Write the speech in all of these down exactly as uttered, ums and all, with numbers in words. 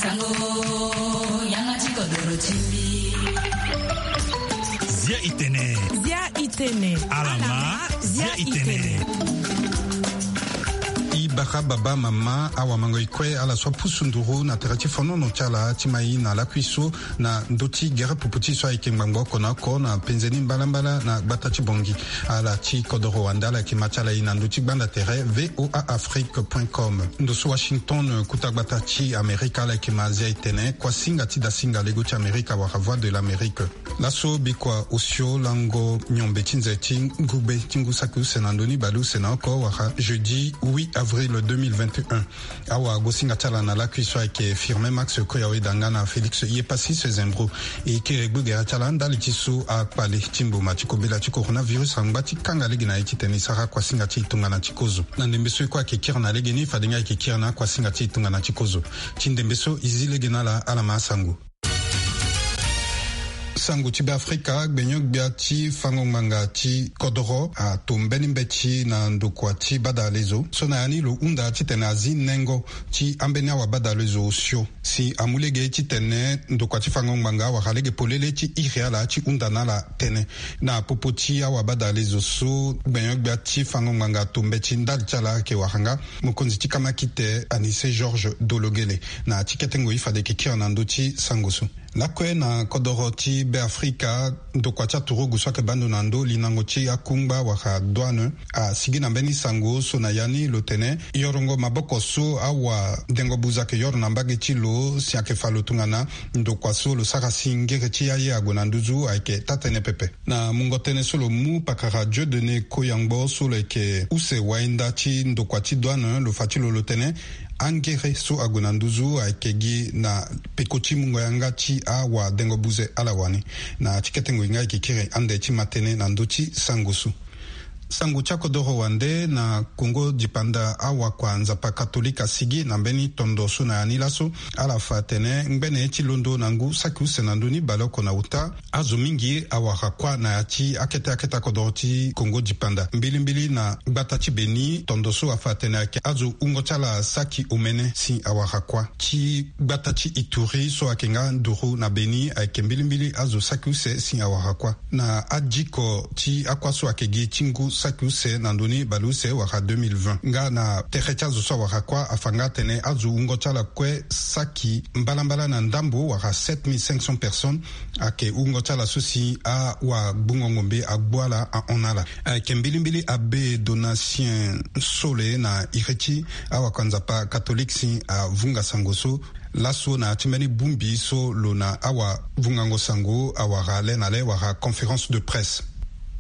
Sango, yanga ti kodoro ti mbi. Zia itene. Zia itene. Alama, zia itene. I bara baba mama awamango i kue ala so apusu nduru na tere ti fonono ti ala ti mai na lakui so na ndö ti gere pupu ti so ayeke ngbangbo oko na oko na penze ni mbalambala na gbata ti Bongi. Ala ti kodoro wande ala yeke ma ti ala i na ndö ti gbanda tere V O A Afrique point com. Ndo so Washington, kuta gbata ti Amerika, ala yeke ma zia itene kuasinga ti dasinga lego ti Amerika wala Voix de l'Amérique. Laso bikua osio lango miombe ti nze ti ngugbe ti ngu saki use na ndö ni baleuse na oko wala jeudi huit avril deux mille vingt et un. Awagosinga ti ala na lakui so ayeke Firmin Max Koyawe Danga na Félix Yepassis Zembro. E kiri gbu gere ti ala ndali ti so akpale ti mboma ti kobela ti coronavirus angba ti kanga lege na ye titene e sara kuasinga ti e tongana ti kozo. Na ndembe so e kue ayeke kiri na legeni, fade nga ayeke kiri na akuasinga ti e tongana ti kozo. Ti ndembe so e zi lege na ala, ala ma asango. Sango ti Beafrika, gbenyo-gbia ti fango ngbanga ti kodoro ato mbeni mbeti na ndokua ti badalezo so na ya ni lo hunda titene azi nengo ti ambeni awabadalezo osio. Si amu lege titene ndokua ti fango ngbanga wara lege polele ti iri ala ti hunda na ala tënë. Na popo ti awabadalezo so, gbenyo-gbia ti fango ngbanga ato mbeti ndali ti ala ayeke wara nga mokonzi ti kamakite Anise Georges Dologele. Na ti kete ngoi fade e yeke kiri na ndö ti sango so. Lakue na kodoro ti Beafrika, ndokua ti aturugu so ayeke baa ndo na ndö linango ti akungba wala douane asigi na mbeni sango so na ya ni lo tene yorongo maboko so awadengo buze ayeke yoro na mbage ti lo si ayeke fa lo tongana ndokua so lo sara si ngere ti aye ague na nduzu ayeke taa-tënë pepe. Na mungo tënë so lo mu pakara Dieudonné Koyangbo so lo yeke use wainda ti ndokua ti douane, lo fa ti lo lo tene angere so ague na nduzu ayeke gi na peko ti mungo yanga ti awadengo buze ala wani. Na ti kete ngoi nga e yeke kiri ande ti ma tënë na ndö ti sango so. Sango ti akodoro wande na Kongo dipanda, awakua Nzapa katolike asigi na mbeni tondo so na ya ni laso. Ala fa atene ngbene ti londo na ngu saki use na ndö ni baleoko na uta, azo mingi awara kuâ na ya ti akete akete akodoro ti Kongo dipanda, mbilimbili na gbata ti Beni. Tondo so afa atene ayeke azo wungo ti ala saki omene si awara kuâ. Ti gbata ti Ituri so ayeke nga nduru na Beni, ayeke mbilimbili azo saki use si awara kuâ. Na adiko ti akuâ so ayeke gi ti ngu saki use na ndö ni baleuse wala deux mille vingt. Nga na tere ti azo so awara kuâ afa nga atene azo wungo ti ala kue saki mbalambala na ndambo wala sept mille cinq cents personnes ayeke wungo ti ala so si awagbungo ngombe agbu ala ahon na ala. Ayeke mbilimbili abe Donatien Sole na iri ti awakua Nzapa katolike si avunga sango so laso na ya ti mbeni bongbi so lo na awavungango sango awara le na le wala conférence de presse.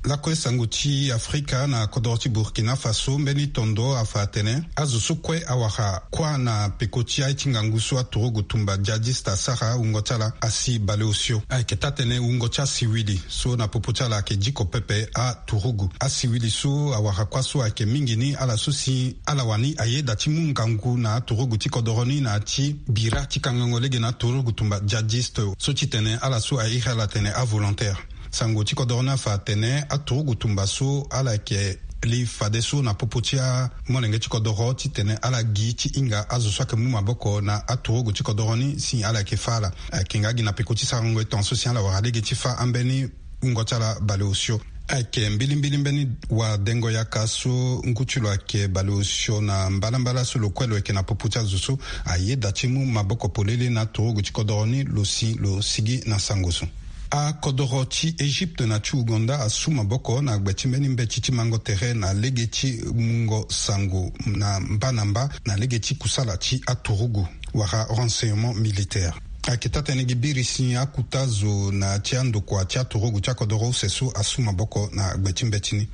Lakue sango ti Afrika, na kodoro ti Burkina Faso, mbeni tondo afa atene azo so kue awara kuâ na peko ti aye ti ngangu so aturugu tumba djihadiste asara wungo ti ala asi baleosio. Ayeke taa-tënë wungo ti asiwili so na popo ti ala ayeke diko pepe aturugu. Asiwili so awara kuâ so ayeke mingi ni ala so si ala wani ayeda ti mu ngangu na aturugu ti kodoro ni na ya ti bira ti kangango lege na aturugu tumba djihadiste so titene ala so airi ala atene avolontaire. Sango ti kodoro ni afa atene aturugu tumba so ala yeke li fadeso na popo ti amolenge ti kodoro titene ala gi ti hinga azo so ayeke mu maboko na aturugu ti kodoro ni si ala yeke fâ ala. Ayeke nga gi na peko ti sarango e tongaso si ala wara lege ti fâ ambeni wungo ti ala baleosio. Ayeke mbilimbili mbeni wadengo yaka so ngu ti lo ayeke baleosio na mbalambala so lo kue lo yeke na popo ti azo so ayeda ti mu maboko polele na aturugu ti kodoro ni lo si lo sigi na sango so. Akodoro ti Egypte na ti Ouganda asu maboko na gbe ti mbeni mbeti ti mango tere na lege ti mungo sango na mba na mba na lege ti kusala ti aturugu wala renseignement militaire. Ayeke taa-tënë gi biri si akuta zo na ya ti andokua ti aturugu ti akodoro use so asu maboko na gbe ti mbeti ni.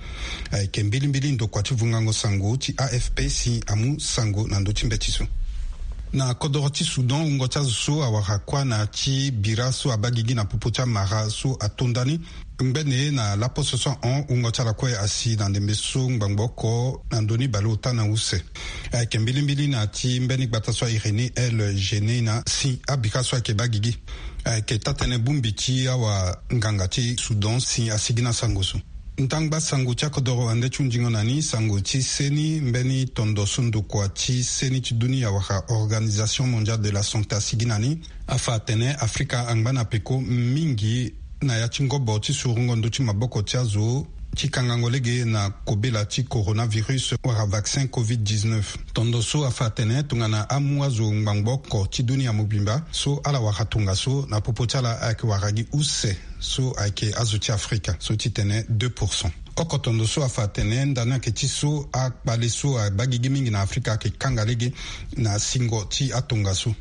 Ayeke mbilimbili ndokua ti vungango sango ti A F P si amu sango na ndö ti mbeti so. Na kodoro ti Soudan, wungo ti azo so awara kuâ na ya ti bira so abaa gigi na popo ti amara so atonda ni. Ngbene na laposo so ahon, wungo ti ala kue asi na ndembe so ngbangbo oko na ndö ni baleota na use. Ayeke mbilimbili na ya ti mbeni gbata so airi ni El Geneina si abira so ayeke baa gigi. Ayeke taa-tënë bongbi ti awanganga ti Soudan si asigi na sango so. Ndangba sango ti akodoro ande ti hundingo na ni sango ti seni mbeni tondo so ndokua ti seni ti dunia wala Organisation Mondiale de la Santé asigi na ni, afa atene Afrika angba na peko mingi na ya ti ngobo ti surungo ndö ti maboko ti azo ti kangango lege na kobela ti coronavirus wala vaccin covid dix-neuf. Tondo so afa atene tongana amu azo ngbangbo oko ti dunia mobimba so ala wara tongaso na popo ti ala ayeke wara gi use so ayeke azo ti Afrika so ti tene deux pour cent. Oko tondo so afa atene ndani ayeke ti so akpale so abaa gigi mingi na Afrika ayeke kanga lege na singo ti atongaso.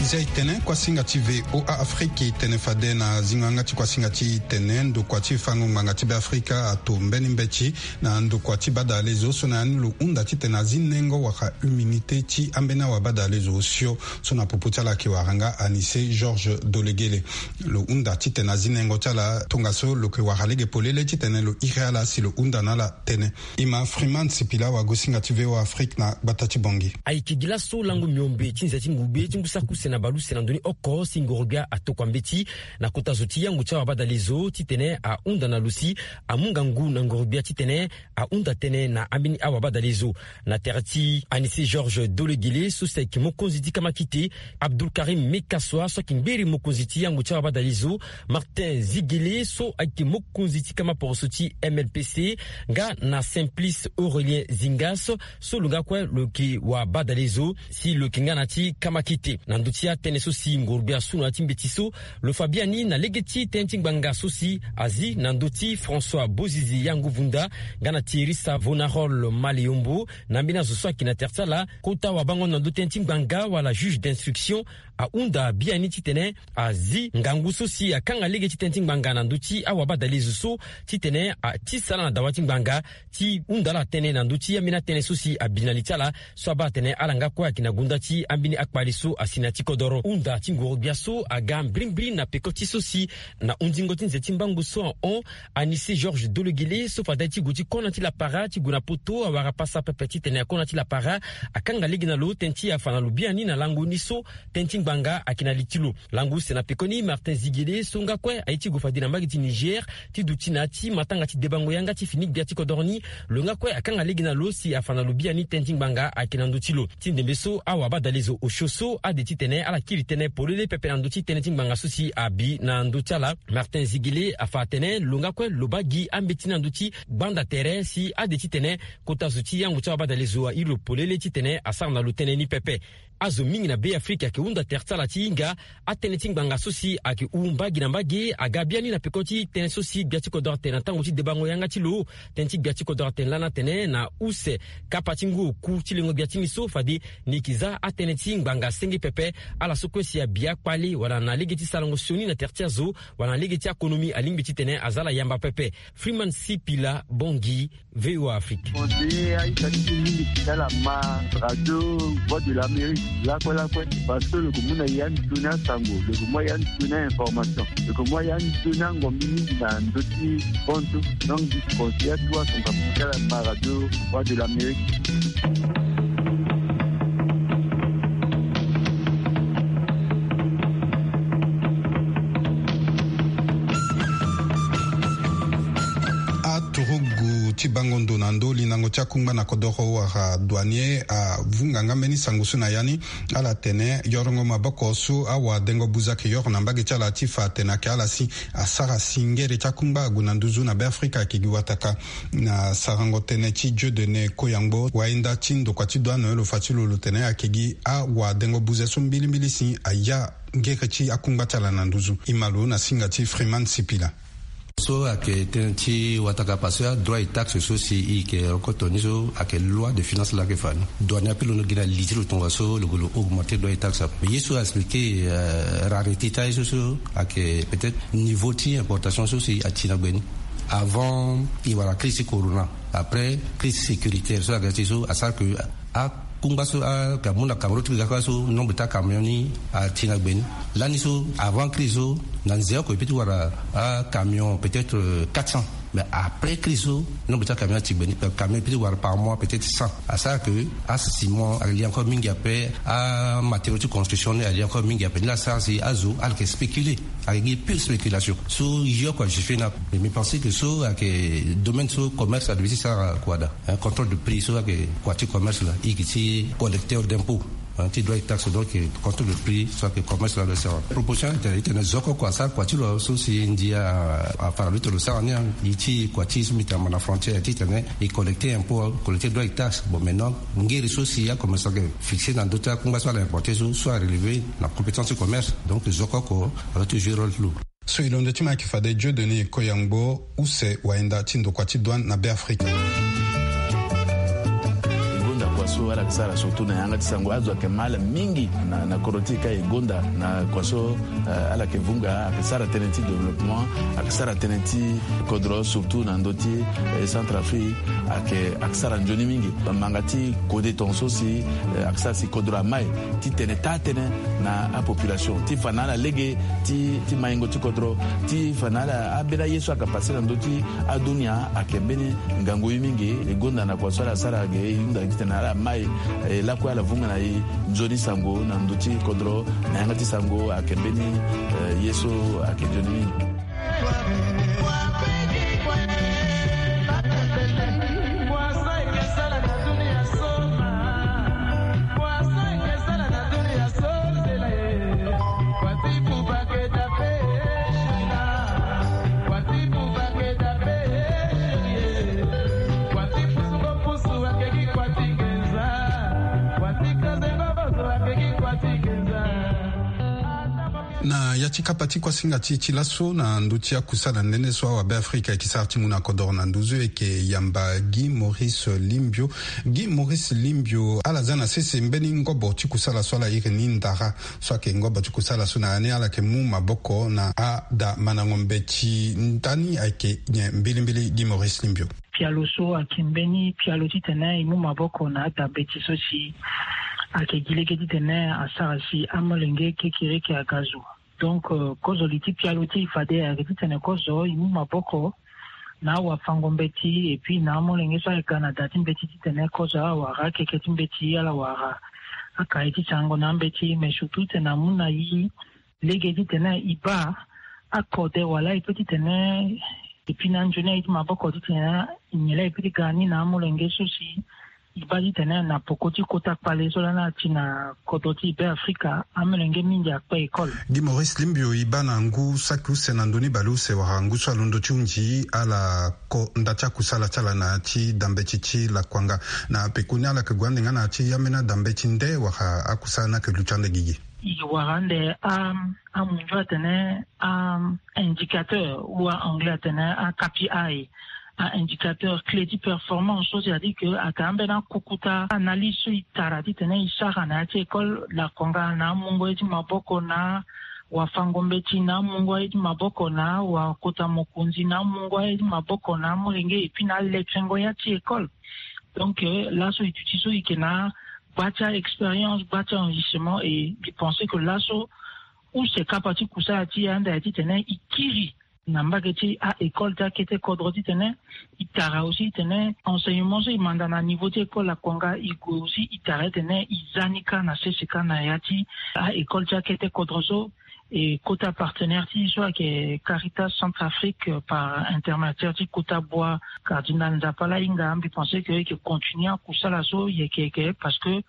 Nzia e tene kuasinga ti V O A Afrique e tene fade na zingo yanga ti kuasinga ti tene ndokua ti fango ngbanga ti Beafrika ato mbeni mbeti na ndokua ti badalezo so na ya ni lo hunda titene azi nengo wala humanité ti ambeni awabadalezo osio so na popo ti ala ayeke wara nga Anissé Georges Dolegele. Lo hunda titene azi nengo ti ala tongaso lo yeke wara lege polele titene lo iri ala si lo hunda na ala tënë. E ma Freeman Sipila wagosinga ti V O A Afrique na gbata ti Bangui. Ayeke gi laso lango miombe ti nze ti ngugbe ti ngu saki use na baleuse na ndoni oko si ngorogbia atokua mbeti na kota zo ti yango ti awabadalezo titene ahunda na lo si amu ngangu na ngorogbia titene ahunda tënë na ambeni awabadalezo. Na tere ti Anissé Georges Dolegele so si ayeke mokonzi ti kamakite, Abdoulkarim Mekassoua so ayeke ngberi mokonzi ti yango ti awabadalezo, Martin Ziguélé so ayeke mokonzi ti kama poroso ti M L P C, nga na Simplice Aurélien Zingas so lo nga kue lo yeke wabadalezo si lo yeke nga na ti kamakite. Na ndö ti atënë so si ngorogbia asu na ya ti mbeti so, lo fa biani na lege ti tënë ti ngbanga so si azi na ndö ti François Bozizi Yanguvunda nga na Thierry Savonarole Maleyombo, na ambeni azo so ayeke na tere ti ala, kota wabango na ndö tënë ti ngbanga wala juge d'instruction ahunda biani titene azi ngangu so si akanga lege ti tënë ti ngbanga na ndö ti awabadalezo so titene atisa ala na dawa ti ngbanga ti hunda ala tënë na ndö ti ambeni atënë so si abi na li ti ala so abaa atene ala nga kue ayeke na gonda ti ambeni akpale so asi na ya ti kodoro. Hunda ti ngorogbia so aga mbirimbiri na peko ti so si na hundingo ti nze ti mbangu so ahon, Anissé Georges Dolegele so fade ti gue ti kona ti lapara ti gue na poto awara pasa pepe titene akona ti lapara, akanga lege na lo tënë ti afa na lo biani na lango ni so tënë ti ngbanga ayeke na li ti lo. Lango use na pekoni, Martin Ziguélé so nga kue aye ti gue fade na mbage ti Niger ti duti na ya ti matanga ti debango yanga ti fini gbia ti kodoro ni, lo nga kue akanga lege na lo si afa na lo biani tënë ti ngbanga ayeke na ndö ti lo. Ti ndembe so awabadalezo osio so ade titene ala kiri tënë polele pepe na ndö ti tënë ti ngbanga so si abi na ndö ti ala. Martin Ziguélé afa atene lo nga kue lo baa gi ambeti ni na ndö ti gbanda tere si ade titene kota zo ti yango ti awabadalezo airi lo polele titene asara na lo tënë ni pepe. Azo mingi na Beafrika ayeke hunda tere ti ala ti hinga atënë ti ngbanga so si ayeke hu mbage na mbage aga biani na peko ti tënë so si gbia ti kodoro atene na tango ti debango yanga ti lo. Tënë ti gbia ti kodoro atene lani atene na use kapa ti ngu oku ti lengo gbia ti ni so fade ni yeke za atënë ti ngbanga senge pepe. Ala so kue si abi akpale wala na lege ti sarango sioni na tere ti azo wala na lege ti akonomi alingbi titene aza ala yamba pepe. Freeman Sipila, Bangui, V O A Afrique. Conseiller aita ti mingi ti ala ma radio Voix de l'Amérique lakue lakue, parce que lo ko mu na ya ni sioni asango, lo ko mu ya ni sioni a-information, lo ko mu ya ni sioni angombi mingi na ndö ti bontu. Donc, conseiller atu atonga ti ala ma radio Voix de l'Amérique. Aturugu ti bango ndo na ndö lindango ti akungba na kodoro wala douanier avunga nga mbeni sango so na ya ni. Ala tene yorongo maboko so awadengo buza ayeke yoro na mbage ti ala ti fa atene ayeke ala si asara singere ti akungba ague na nduzu na Beafrika ayeke gi wataka. Na sarango tënë ti Dieudonné Koyangbo, wayenda ti ndokua ti douane, lo fa ti lo lo tene ayeke gi awadengo buze so mbilimbili si aya ngere ti akungba ti ala na nduzu. E ma lo na singa ti Freeman Sipila. So ayeke tënë ti wataka parce que adroit et taxe so si e yeke rokoto ni so ayeke loi de finance laa ayeke fa ni. Douane ape lo no gi na li ti lo tongaso lo gue lo augmenter droit et taxe ape. Mais ye so aexpliquer, euh, rareté ti aye so so ayeke peut-être niveau ti importation so si ati na gbe ni. Avant e wara crise ti corona, Après crise sécuritaire so aga ti so asara ke akungba so aka mu na Cameroun ti ga kua so nombre ti acamion ni ati na gbe ni. Lani so avant crise so na nze oko e peut ti wara acamion peut-être quatre cents. Mais après crise so nombre ti acamion ati gbe ni, camion e peut ti wara par mois peut-être cent. Asara ke aciment ali encore mingi ape, amatériaux ti construction ni ali encore mingi ape. Ni la asara si azo ala yeke spéculer, ayeke gi pure spéculation. So yo kua je fais na mais mi pense que so ayeke domaine so commerce adoit ti sara kua daa. Contrôle de prix so ayeke kua ti commerce laa, i gi ti collecteur d'impôt ti droit et taxe, donc contrôle de prix so ayeke commerce laa doit sara. Proposition ayeke tene zo oko kua asara kua ti lo so si ndia afara lo ti lo sara ni. I ti kua ti so mbi tene na frontière ti tene i collecter impôt, collecter droit et taxe. Bon, maintenant ngeri so si acommerçant ayeke fixer na ndö ti akungba so ala importer so, so arelever na compétence ti commerce. Donc zo oko oko adoit ti jouer rôle ti lo. So e londo ti ma ayeke fade Dieudonné Koyangbo, use wayenda ti ndokua ti douane na Beafrika. E gonda kua so ala yeke sara surtout na yanga ti sango, azo ayeke ma ala mingi na, na kodro ti e ka e gonda na kua so, eh, ala yeke vunga, ayeke sara tënë ti développement, ayeke sara tënë ti kodro surtout na ndö ti, eh, Centrafrique. Ayeke, ayeke sara nzoni mingi. Bamanga ti kode tongaso si, eh, ayeke sara si kodro amai ti tene taa tënë na apopulation ti fa na ala lege ti, ti maingo ti kodro, ti fa na ala ambeni aye so ayeke pase na ndö ti adunia ayeke mbeni ngangu ye mingi. E gonda na kua so ala sara ge, e hunda titene ala mai, eh, lakue ala vunga na e nzoni sango na ndö ti kodro, na yanga ti sango ayeke mbeni, eh, ye so ayeke nzoni mingi. Na ya ti kapa ti kuasinga ti e ti laso na ndö ti akusala nene so awabeafrika ayeke sara ti mu na kodoro na nduzu, e yeke yamba Guy Maurice Limbio. Guy Maurice Limbio, ala za na sese mbeni ngobo ti kusala so ala iri ni ndara, so ayeke ngobo ti kusala so na ya ni ala yeke mu maboko na ada mandango mbeti. Ndani ayeke nyen mbilimbili, Guy Maurice Limbio? Pialo so ayeke mbeni pialo titene e mu maboko na ada mbeti so si ayeke gi lege titene asara si amolenge kekereke aga zo. Donc, euh, kozo li ti pialo ti e fade ayeke titene kozo e mu maboko na awafango mbeti, et puis na amolenge so ayeke ga na da ti mbeti titene kozo ala wara akeke ti mbeti, ala wara akaye ti sango na ambeti, mais surtout titene amu na e lege titene e baa akode wala e peut titene e pi na anzoni aye ti maboko titene nyen laa e peut ti ga ni na amolenge so si e baa titene na poko ti kota kpale so lani ati na kodro ti Beafrika, amolenge mingi akpe école. Guy Maurice Limbio, e baa na ngu saki use na ndö ni baleuse wala ngu so alondo ti hunzi ala ko nda ti akusala ti ala na ya ti da mbeti ti lakuanga. Na pekoni ala yeke gue ande nga na ya ti ambeni ada mbeti nde wala akusala ni ayeke luti ande gigi? E wara ande a, amunzu atene a indicateur ou a anglais atene a K P I, a indicateur clé ti performance so, c'est-à-dire que ayeke ambeni akokota analyse so e tara titene e sara na ya ti école lakonga na amungo ye ti maboko na wafango mbeti, na amungo ye ti maboko na wakota mokonzi, na amungo ye ti maboko na amolenge, et puis na alekengo ya ti école. Donc, euh, laso e duti so e yeke na gba ti a-expérience, gba ti a-enrichissement, et mbi pense que laso use kapa ti kusala ti e ande aye titene e kiri na mbage ti a-école ti akete kodro titene e tara aussi titene enseignement so e manda na niveau ti école lakonga e gue aussi e tara titene e za ni kâ na sese kâ na ya ti a-école ti akete kodro so. E kota partenaire ti e so ayeke Caritas Centrafrique, euh, par intermédiaire ti kota bua Cardinal Nzapa la hinga, mbi pense que e yeke continuer akusala so e yeke yeke, parce que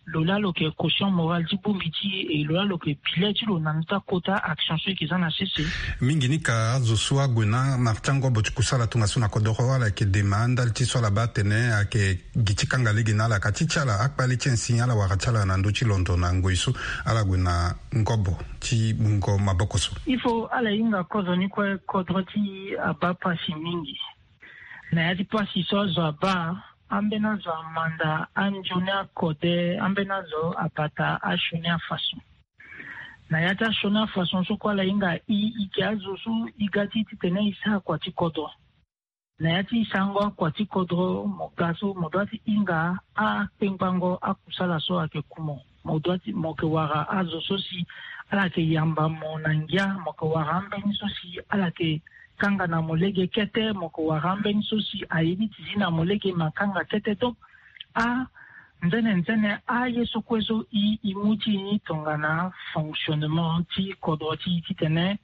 lo laa lo yeke caution morale ti bongbi ti e, e lo laa lo yeke bilet ti lo na ndö ti akota action so e yeke za na sese. Mingi ni ka azo so ague na mara ti angobo ti kusala tongaso na kodoro ala yeke dema andali ti so ala baa atene ayeke gi ti kanga lege na ala ka ti ti ala akpale ti insigne ala wara ti ala na ndö ti londo na ngoi so ala gue na ngobo ti bungo maboko so. Il faut ala hinga kozoni kue, kodro ti e abaa pasi mingi. Na ya ti pasi so azo abaa, ambeni azo amanda anzoni akode, ambeni azo abata asioni afaso. Na ya ti asioni afaso so kue ala hinga e, e gi azo so e ga ti e titene e sara kua ti kodro. Na ya ti sango akua ti kodro mo ga so mo dua ti hinga akpengbango akusala so ayeke ku mo. Mo dua ti mo yeke wara azo so si ala yeke yamba mo na ngia, mo yeke wara ambeni so si ala yeke kanga na mo lege kete, mo yeke wara ambeni so si aye ni ti zi na mo lege ma kanga kete. Donc a nzene nzene aye so kue so i i mu ti i ni tongana fonctionnement ti kodro ti i titene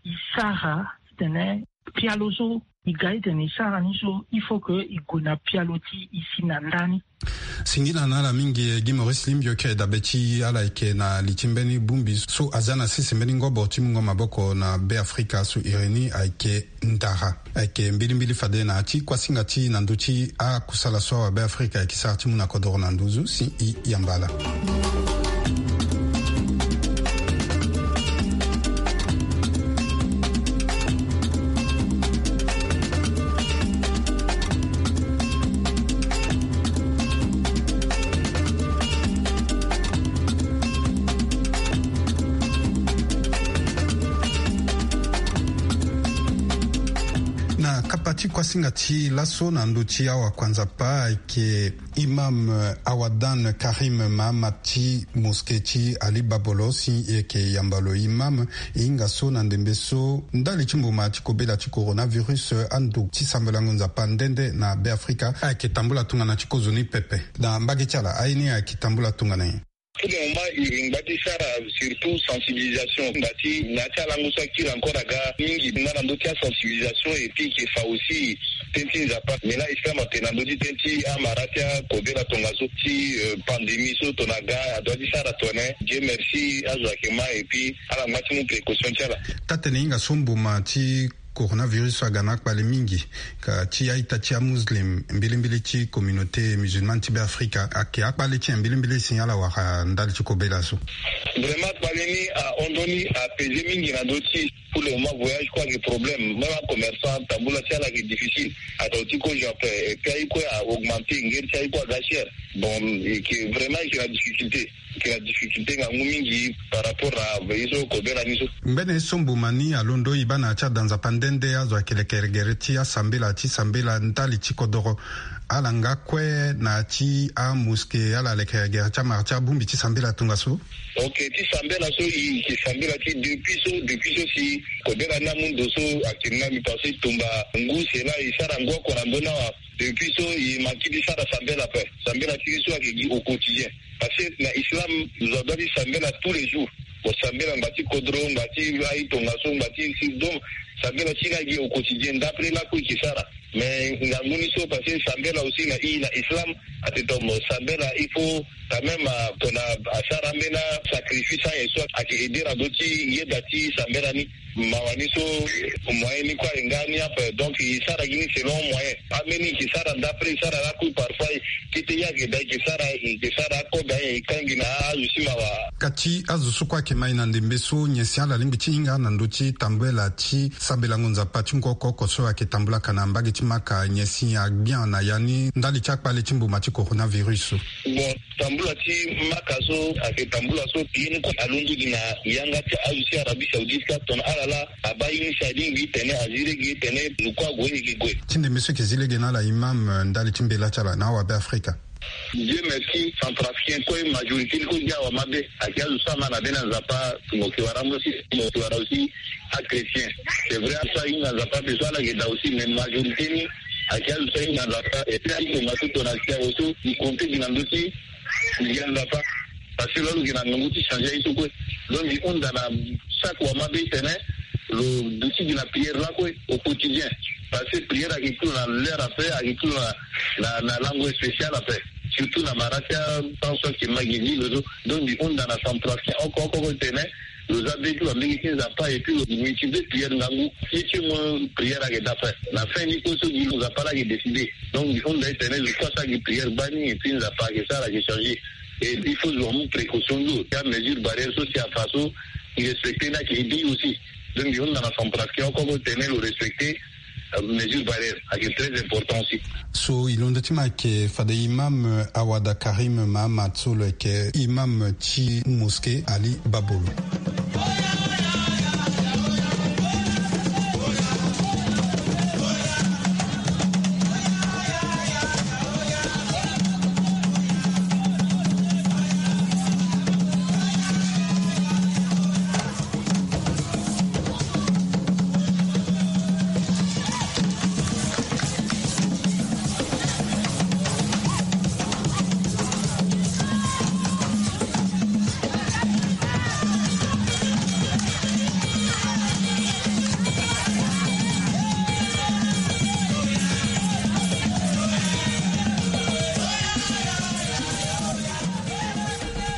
i sara titene pialo so i ga titene i sara ni so il faut que i gue na pialo ti i si na ndani. Singila na ala mingi gi Maurice Limbio ke dabe ti ala yeke na li ti mbeni bongbi so aza na sese mbeni ngobo ti mungo maboko na Be Afrika so iri ni ayeke ndara. Ayeke mbilimbili fade na ya ti kuasinga ti na ndö ti akusala so awa Be Afrika ayeke sara ti mu na kodoro na nduzu si i yamba ala. Na kapa ti kuasinga ti laso na ndö ti awa kuanza pa ayeke imam Awadan Karim Mahamat ti moske ti Ali Babolo si e yeke yamba lo imam. E hinga so na ndembe so ndali ti mbuma ti kobela ti coronavirus ando ti sambelango Nzapa nde nde na Be Afrika ayeke tambula tongana ti kozoni pepe. Na mbage ti ala aye ni ayeke tambula tongana nyen? Tout le moment i ngba ti sara surtout sensibilisation ngba ti na ya ti alango so akiri encore aga mingi nga na ndö ti asensibilisation et puis ke fa aussi tënë ti Nzapa. Mais là islam atene na ndö ti tënë ti amara ti akobela tongaso ti pandémie so tongana aga adua ti sara tongana nyen? Dieu merci azo ayeke ma et puis ala ngba ti mu précaution ti ala. Taa-tene hinga so mbuma ti coronavirus so aga na akpale mingi ka ti a-ita ti amuslim mbilimbili ti communauté musulmane ti Be Afrika ayeke akpale ti nyen mbilimbili si ala wara ndali ti kobela so? Vraiment akpale ni ahon ndoni apese mingi na ndö ti pour le moment voyage kue ayeke problème même acommerçant tambula ti ala ayeke difficile. Ato ti kozo ape et puis aye kue a augmenter ngeri ti aye kue aga cher. Bon ayeke vraiment ayeke na difficulté. Ayeke na difficulté ngangu mingi par rapport na veillée so kobela ni so. Ngbene so mbuma ni alondo e baa na ya ti ada Nzapa nde nde azo ayeke leke gere ti asambela ti sambela ndali ti kodoro. Ala nga kue na ya ti amoske ala leke gere ti amara ti abongbi ti sambela tongaso. Ok ti sambela so e yeke sambela ti depuis so depuis so si kobela ni amu ndo so ayeke na mbi parce que tumba ngu sela e sara ngu oko na ndö ni awa. Depuis so e manki ti sara sambela ape. Sambela ti e so ayeke gi au quotidien. Parce que na islam zo adua ti sambela tous les jours. Mo sambela ngba ti kodro ngba ti aye tongaso ngba ti si donc sambela ti e ni agi au quotidien d'après lakue e ke sara. Mais ngangu ni so parce que sambela aussi na e na islam ate to mo sambela il faut quand même tona asara ambeni asacrifice anyen so ayeke aider na ndö ti yeda ti sambela ni. Mawa ni so moyen ni kue ayeke nga ni ape donc e sara gi ni selon moyen. Ambeni e ke sara d'après e sara lakue parfois kete ye ayeke daa e ke sara e ke sara akode anyen e kangi na azo ti mawa. Kati azo so kue ayeke ma e na ndembe so nyen si ala lingbi ti hinga na ndö ti tambela ti sambelango Nzapa ti ngu oko oko so ayeke tambulaka na mbage ti Maka nyen si agbia na ya ni ndali ti akpale ti mbuma ti coronavirus so? Bon tambula ti Maka so ayeke tambula so ye ni kue alondo gi na yanga ti azo ti Arabie Saoudite ka tongana ala laa abaa ye ni si alingbi tene azi lege tene zo kue ague ni gi gue. Ti ndembe so e yeke zi lege na ala imam ndali ti mbela ti ala na awabe Afrika. Dieu merci centrafricain kue majorité ni kue gi awamabe. Ayeke azo so ama na be na Nzapa mo yeke wara ambeni si mo yeke wara aussi achrétien. C'est vrai azo so ahinga Nzapa ape so ala yeke daa aussi mais majorité ni ayeke azo so ahinga Nzapa et puis azo so tongana si awe so e compter gi na ndö ti Nzapa. Parce que lo lo yeke na ngangu ti changer aye so kue. Donc mbi hunda na chaque wamabe ti tene lo duti gi na prière lakue au quotidien. Parce que prière ayeke ti lo na l'heure ape ayeke ti lo na na langue spéciale ape. Surtout na mara ti apension ayeke ma gi gi lo so. Donc mbi hunda na centrafricain oko oko oko ti tene lo za be ti lo na mbege ti Nzapa et puis lo multiplier prière ngangu. Ye ti mo prière ayeke daa ape na fin ni kue so gi lo Nzapa laa ayeke décider. Donc mbi hunda ti tene zo kue asara gi prière gbani et puis Nzapa ayeke sara ayeke changer. Et il faut zo amu précaution ti lo ti amesure barrière so si afa so e respecter ni ayeke aider aussi. Donc mbi hunda na centrafricain oko oko ti tene lo respecter mesure barrière ayeke très important aussi. So e londo ti ma ayeke fade imam Awada Karim Mahamat so lo yeke imam ti mosquée Ali Babolo.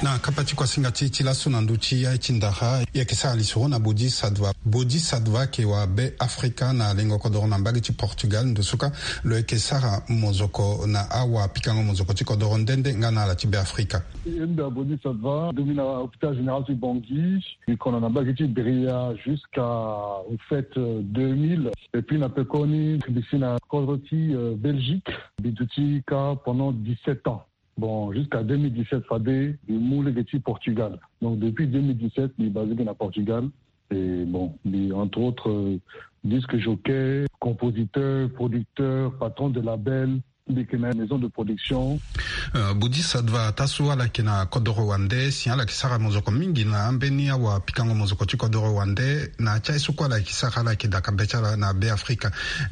Na kapa ti kuasinga ti ti laso na ndö ti aye ti ndara, e yeke sara lisoro na Bodhisattva. Bodhisattva ayeke wa Be Afrika na lengo kodoro na mbage ti Portugal. Ndo so ka lo yeke sara mozoko na awapikango mozoko ti kodoro nde nde nga na ala ti Be Afrika. Mbi na Bodhisattva, mbi na hôpital général ti Bangui, mbi kono na mbage ti Bria jusqu'à, en fait, euh, deux mille. Et puis na pekoni mbi si na kodro ti, euh, Belgique, mbi duti kâ pendant dix-sept ans. Bon, jusqu'à deux mille dix-sept fade mbi mu lege ti Portugal. Donc depuis deux mille dix-sept mbi basé na Portugal. Et bon, mbi entre autres, euh, disque jockey, compositeur, producteur, patron de label, mbi yeke na maison de production. Euh, Bodhisattva, taa so ala yeke na kodoro wande, si ala yeke sara mozoko mingi na ambeni awapikango mozoko ti kodoro wande, na ya ti aye so kue ala yeke sara, ala yeke daka be ti ala na Be Afrika.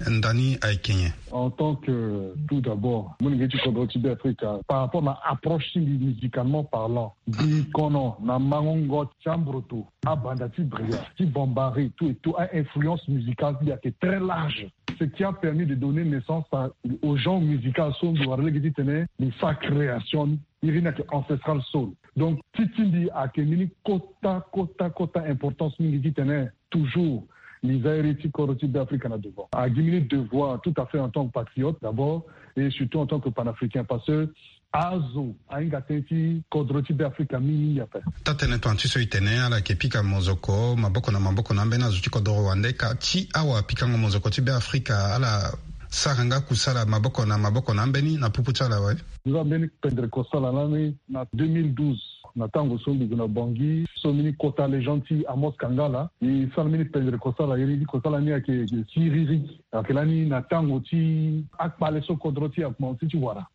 Ndani ayeke nyen? En tant que, tout d'abord, molenge ti kodro ti Be Afrika, par rapport na approche ti mbi, musicalement parlant, mbi kono na mangongo ti ambroto, abanda ti Bria, ti Bambari, tout et tout, a influence musicale ti mbi ayeke très large. Ce qui a permis de donner naissance à, au genre musical so mbi wara lege titene mbi sara création, iri ni ayeke ancestral soul. Donc ti ti mbi ayeke mbeni kota, kota, kota importance mingi titene toujours mbi za iri ti kodro ti Be Afrika na devant. Agi mbeni devoir tout à fait en tant que patriote d'abord et surtout en tant que panafricain, parce que azo ahinga tënë ti kodro ti Be Afrika mingi mingi ape. Taa tënë tongana ti so e tene, ala yeke pika mozoko maboko na maboko na ambeni azo ti kodoro wande, ka ti awapikango mozoko ti Be Afrika ala sara nga kusala maboko na maboko na ambeni na popo ti ala awe? Mbi za mbeni pendere kosala lani na deux mille douze, na tango so mbi gue na Bangui, so mbeni kota légende ti Amos Kangala, e sara mbeni pendere kosala, iri ti kosala ni ayeke, ayeke siriri. Ayeke lani na tango ti akpale so kodro ti e akomanse ti wara.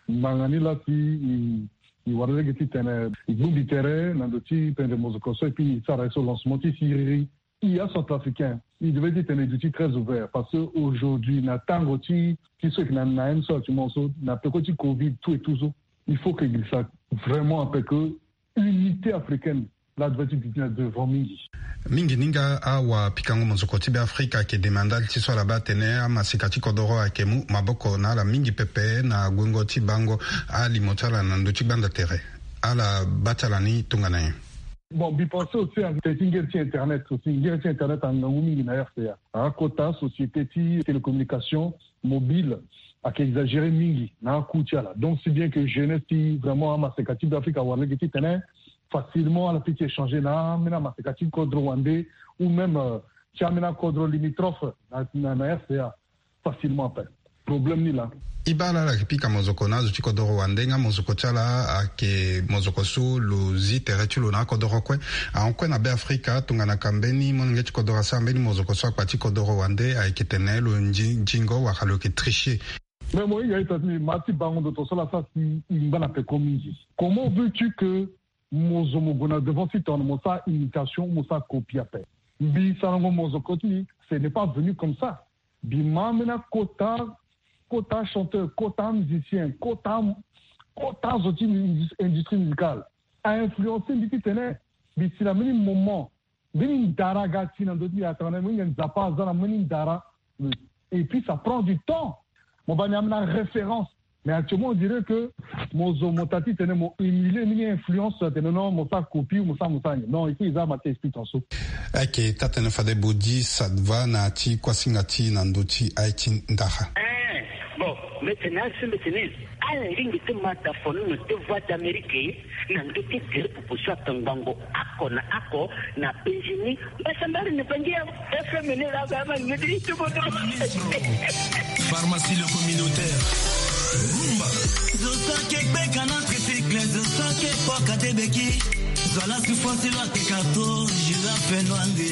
Ngbanga ni laa si e, e wara lege titene e bongbi tere na ndo ti pendere mozoko so, et puis e sara ye so lancement ti siriri. E acentrafricain, e devait titene e duti très ouvert, parce que aujourd'hui na tango ti, ti so e yeke na, na ye ni so actuellement so, na peko ti covid tout et tout so, il faut que e girisa vraiment ape que unité africaine laa devait ti duti na devant mingi. Mingi ni nga awapikango mozoko ti Be Afrika ayeke demande ala ti so ala baa atene amaseka ti kodoro ayeke mu maboko na ala mingi pepe na guengo ti bango alimo ti ala na ndö ti gbanda tere. Ala baa ti ala ni tongana nyen? Bon, mbi pense aussi tene ti ngere ti internet aussi, ngere ti internet angangu mingi na R C A. Akota société ti télécommunication mobile ayeke exagéré mingi na aku ti ala. Donc si bien que jeunesse ti vraiment amaseka ti Be Afrika awara lege titene facilement ala peut ti échanger na ambeni amaseka ti kodro wande, ou même, euh, ti ambeni akodro limitrophe na, na, na R C A facilement ape. Problème ni laa. E baa ala, ala yeke pika mozoko na azo ti kodoro wande nga mozoko ti ala ayeke mozoko so lo zi tere ti lo na akodoro kue ahon kue na Be Afrika, tongana ka mbeni molenge ti kodoro asara mbeni mozoko so akpa ti kodoro wande ayeke tene lo nzi-, nzingo wala lo yeke tricher. Mais mohinga ita ti mbi, ma ti bango ndo to so laa sara si e ngba na peko mingi. Comment veux-tu que mo zo mo gue na devant ti tongana mo sara imitation, mo sara copie ape? Mbi sarango mozoko ti mbi, ce n'est pas venu comme ça. Mbi ma ambeni akota, kota chanteur, kota musicien, kota, kota zo ti mu-, industrie musicale a influencer mbi titene mbi si na mbeni moment mbeni ndara aga ti na ndö ti mbi, atanga na mbi Nzapa aza na mbeni ndara. Et puis ça prend du temps. Mo baa ni ambeni aréférence. Mais actuellement on dirait que mo zo mo ta titene mo émuler mbeni influence, atene non mo sara copie, mo sara, mo sara nyen. Non, il faut e za ma ti explique en so. Ayeke taa tënë fade Bodhisattva na ya ti kuasinga ti e na ndö ti aye ti ndara. Eh, bon, mbi tene asi, mbi tene alingbi ti ma da fo ni na ndö ti Voix d'Amérique na ndö ti gere popo so atongbango oko na oko na Benjini. Mbasambari ni Bangi ya F M ni la ba ma ni di tu bodo. Pharmacie le communautaire. Rumba. Zo so ake gbeka na tricycle, zo so ake poka te beki. Zo ala souffrance lo ake kato, je la fais noir nde.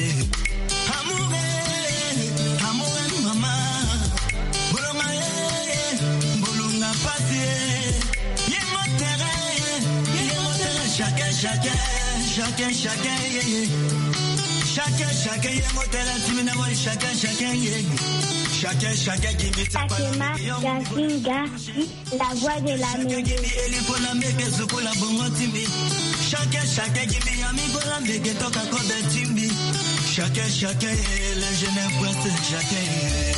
Amour, eh, amour, eh, mama. Bolonga, eh, bolonga pasi, eh. Ye motere, ye motere, chacun, chacun, chacun, chacun, yeah, yeah. Chacun, chacun, ye motere, timina boy, chacun, chacun, yeah. Chacun, chacun, give me some. Fatima Gazinga, la voix de la musique. Chacun, chacun, give me Yami Bola, Meke Toka Kobe Timbi. Chacun, chacun, eh, les jeunes influenceurs, chacun, eh.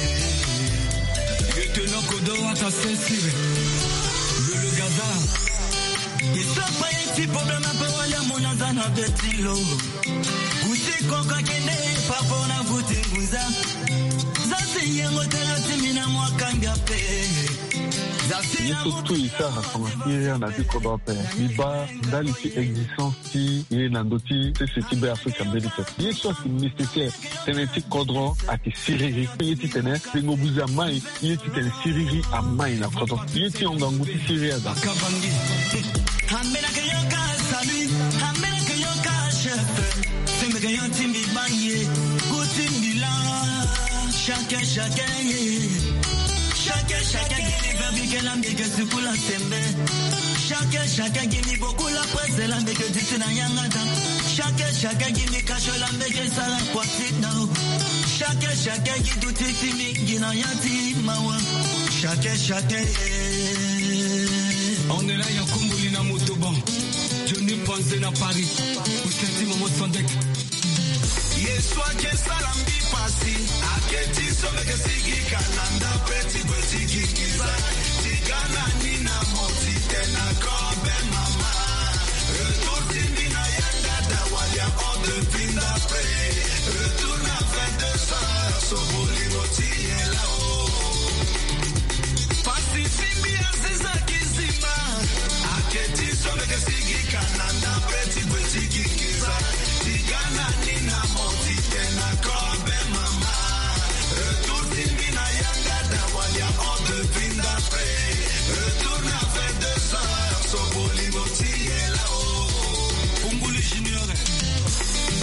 Lieutenant Kodo, Wata Sensire. Le, le Gaza. Isopa ye ti problème pe wali amoni aza na beti lo. Guti koko akende papa na guti nguza. Za si yengo tena ti mina mwa kanga pe. Za si ye so tu isa na kama ye ya na ti kodro pe. Iba ndali ti existence ti ye na ndo ti sese ti be Afrika mbeni te. Ye so asi nécessaire. Tënë ti kodro ayeke siriri. Ye titene tengo buzi amai. Ye titene siriri amai na kodro. Ye ti hon ngangu ti siriri aza. Kavangi. Ambeni ayeke yo ka salut. Ambeni ayeke yo ka chef. Sembe ke yo ti mbi baa ye. Gu ti mbi laa. Chacun, chacun, ye. Chacun, chacun, ye. Verbi ke la mbi ke sukula sembe. Chacun, chacun, give me beaucoup la presse, la mbi ke diti na yanga dan. Chacun, chacun, give me cash, la mbi ke sara kua ti dao. Chacun, chacun, give duti ti mingi na ya ti mawa. Chacun, chacun, eh. On est là, ya Kumbuli na Motoban. Johnny Panze na Paris. Ousenti Momo Sandek. Ye so ayeke sara mbi pasi, ayeke ti so mbi yeke sigi ka na ndapre ti gue ti gi nginza. Ti ga na ni na mo ti tene na kobe mama. Retour ti mbi na yanga da walia hors de vie ndapre. Retour na vingt-deux heures, so bolingo ti ye lao. Pasi ti mbi aziza kizima. Ayeke ti so mbi yeke sigi ka na ndapre ti gue ti gi nginza. Ti ga na ni na mo ti tene na kobe mama. Retour ti mbi na yanga da walia hors de vie ndapre. Retour na vingt-deux heures, so bolingo ti ye lao. Kumbuli Junior.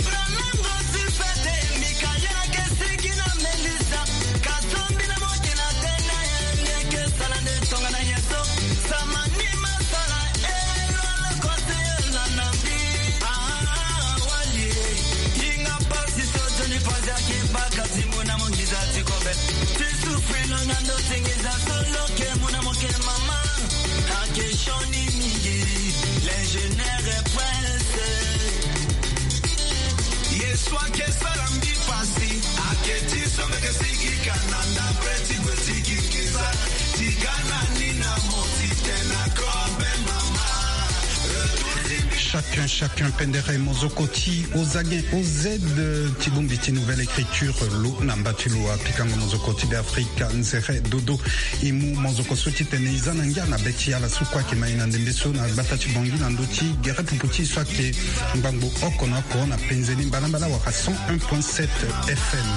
Franango ti fete, Mikaela ke sigi na Melissa. Kasombi na mokena tena ye, neke sala nde tonga na ye so. Samani masala, elo ala kote la na mbi. Ah, wali, inga pasi so Johnny Panze aki baka ti mona mongiza ti kobe. Ti souffrir lo na ndo ti ngiza so lo ke mona moke mama. Ake sioni mingi, l'ingénieur est pressé. Ye so ayeke sara mbi pasi, ayeke ti so mbi yeke sigi ka na ndapre ti gue ti gi nginza. Ti ga na ni na mo ti tene na kobe mama. Retour ti mbi. Chacun, chacun pendere mozoko ti Ozagen O Z ti bongbi ti Nouvelle Écriture lo na mba ti lo apikango mozoko ti Be Afrika nzere dodo. E mu mozoko so titene e za na ngia na be ti ala so kue ayeke ma e na ndembe so na gbata ti Bangui na ndö ti gere pupu ti e so ayeke ngbangbo oko na oko na penze ni mbalambala wala cent un point sept F M.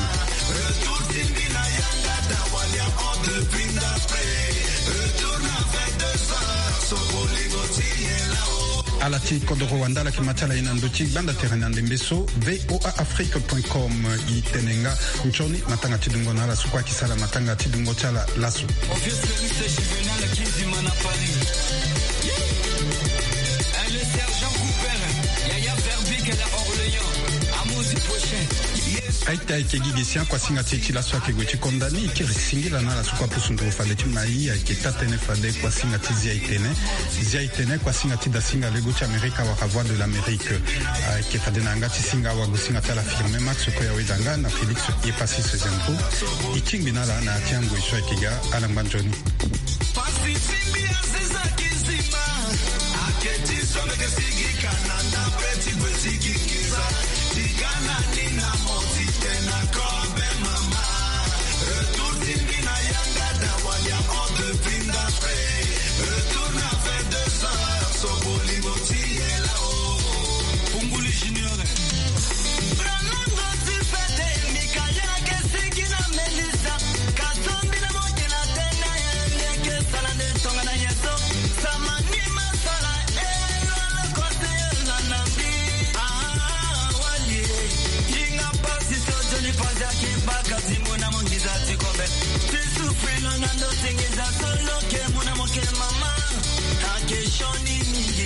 Ala ti kodoro wanda ala yeke ma ti ala e na ndö ti gbanda tere na ndembe so V O A Afrique point com. E tene nga nzoni matanga ti dungo na ala so kue ayeke sara matanga ti dungo ti ala laso. Obvious Lyrics, Juvenal Kizima na Paris. Eh, le sergent Cooper, Yaya Verbic na Orléans, Amosi Prochain. Aita ayeke gi gi si akuasinga ti e ti laso ayeke gue ti konda ni. E kiri singila na ala so kue apusu nduru fade ti ma e, ayeke taa-tënë fade kuasinga ti Zia Itene. Zia Itene, kuasinga ti dasinga lego ti Amerika wala Voix de l'Amérique. Ayeke fade na yanga ti singa awagosinga ti ala Firmin Max kue aweda nga na Félix Yepassis Zentro. E tingbi na ala na ya ti angoi so ayeke ga. Ala ngba nzoni. Pasi ti mbi aziza kizima. Ayeke ti so mbi yeke sigi ka na ndapre ti gue ti gi nginza. Ti ga na ni na mo ti tene na kobe mama. Retour ti mbi na yanga da walia hors de vie ndapre. Retour na vingt-deux heures, so bolingo ti ye lao. Punguli Junior. Franango ti fete, Mikaela ke sigi na Melissa. Kasombi na mokena tena ye, neke sala nde tonga na ye so. Samani masala, elo ala kote la na mbi. Ah, wali, inga pasi so Johnny Panze aki baka ti mona mongiza ti kobe. Ti souffrir lo na ndo ti ngi.